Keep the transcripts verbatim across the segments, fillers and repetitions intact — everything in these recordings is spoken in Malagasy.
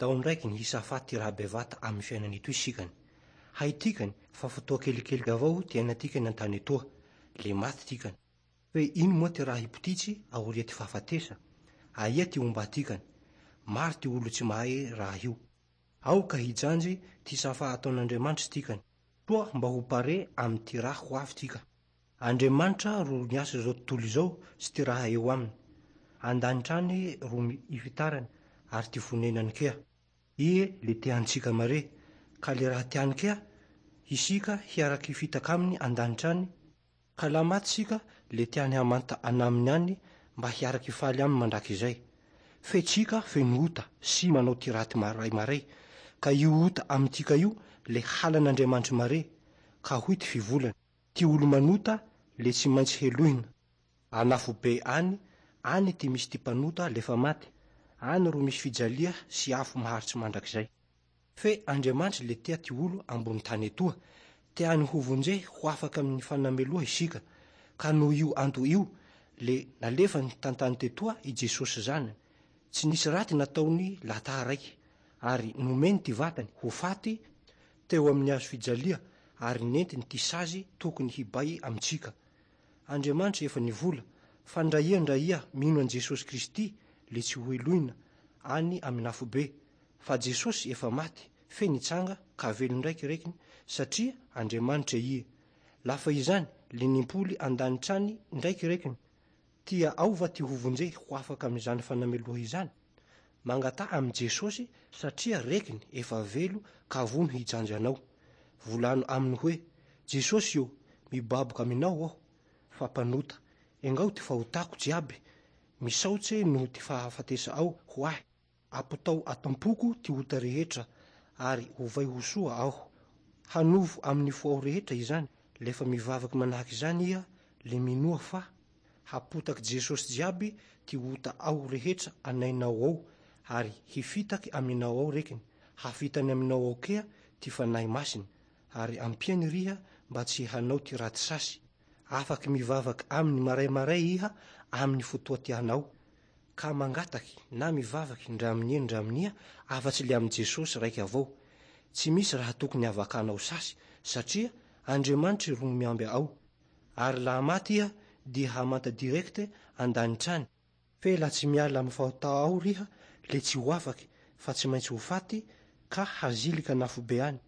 Tao ndraiky ny hisafa ty raha bevata amin'ny fiainany itoy sikany. Haitikany fa fotoa kelikely avao ty ainatikany an-tany etoa, le maty tikany. Fe ino moa ty raha hipotitsy aoria ty fahafatesa? Aia ty ombatikany? Maro ty olo tsy mahay raha io. Ao ka hijanjy ty safa ataon'Andriamanitra tikany. Toa mba ho pare amy ty raha ho avy tika. Andriamanitra ro niasa zao tontolo izao sy ty raha eo aminy. An-danitra any ro ifitarany ary ty fonenany kea. Ie le tea antsika mare, ka le raha tiany kea, isika hiaraky hifitaka aminy an-danitra any, ka laha maty sika le tiany hamanta anaminy any mba hiaraky hifaly aminy mandrakizay. Fe tsika feno ota sy manao ty raty maray maray, ka io ota amintsika io le halan'Andriamanitra mare, ka hoy ty fivolany, ty olo manota le tsy maintsy helohina. Anafobe any, any ty misy ty mpanota lefa maty, any ro misy fijalia sy afo maharitsy mandrakizay. Fe Andriamanitra le tea ty olo ambony tany etoa, tiany ho vonje ho afaka amin'ny fanameloha isika, ka noho io anto io le nalefany tantany tetoa i Jesosy zanany. Tsy nisy raty nataony lata raiky, ary nomeny ty vatany ho faty teo amin'ny hazo fijalia ary nentiny ty sazy tokony hibay amintsika. Andriamanitra efa nivola fa ndra ia ndra ia mino an Jesosy Kristy le tsy ho helohina any amin'ny afobe, fa Jesosy efa maty fe nitsanga ka velo ndraiky rekiny satria Andriamanitra ie. Lafa izany le nimpoly an-danitra any ndraiky rekiny. Tia aova ty ho vonje ho afaka amin'izany fanameloha izany. Mangata amin'i Jesosy satria rekiny efa velo ka vono hijanjy anao. Volano aminy hoe: Jesosy io, mibaboka aminao aho fa mpanota. Engao ty fahotako jiaby, misaotse noho ty fahafatesa ao ho ahy. Apotao atampoko ty ota rehetra ary ovay ho soa aho. Hanovo amin'ny fo ao rehetra izany, lefa mivavaky manahaky izany iha, le minoa fa hapotaky Jesosy jiaby ty ota ao rehetra anainao ao ary hifitaky aminao ao rekiny, hafitany aminao ao kea ty fanahy masiny, ary ampiany riha mba tsy hanao ty raty sasy. Afaky mivavaky aminy maraimaray iha amin'ny fotoa tianao, ka mangataky na mivavaky ndra amin'ia ndra amin'ia afa-tsy le amin'i Jesosy raiky avao. Tsy misy raha tokony havakanao sasy, satria Andriamanitra ro miamby ao. Ary laha maty iha dia hamanta direkte an-danitra any. Fe laha tsy miala amin'ny fahota ao riha le tsy ho afaky fa tsy maintsy ho faty ka hazilika anafobe any.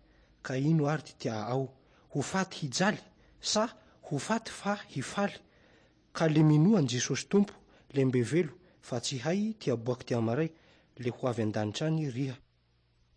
Ka ino ary ty tia ao? Ho faty hijaly sa ho faty fa hifaly? Ka le minoa an Jesosy Tompo le mbe velo fa tsy hay ty aboaky ty amaray le ho avy an-danitra any riha.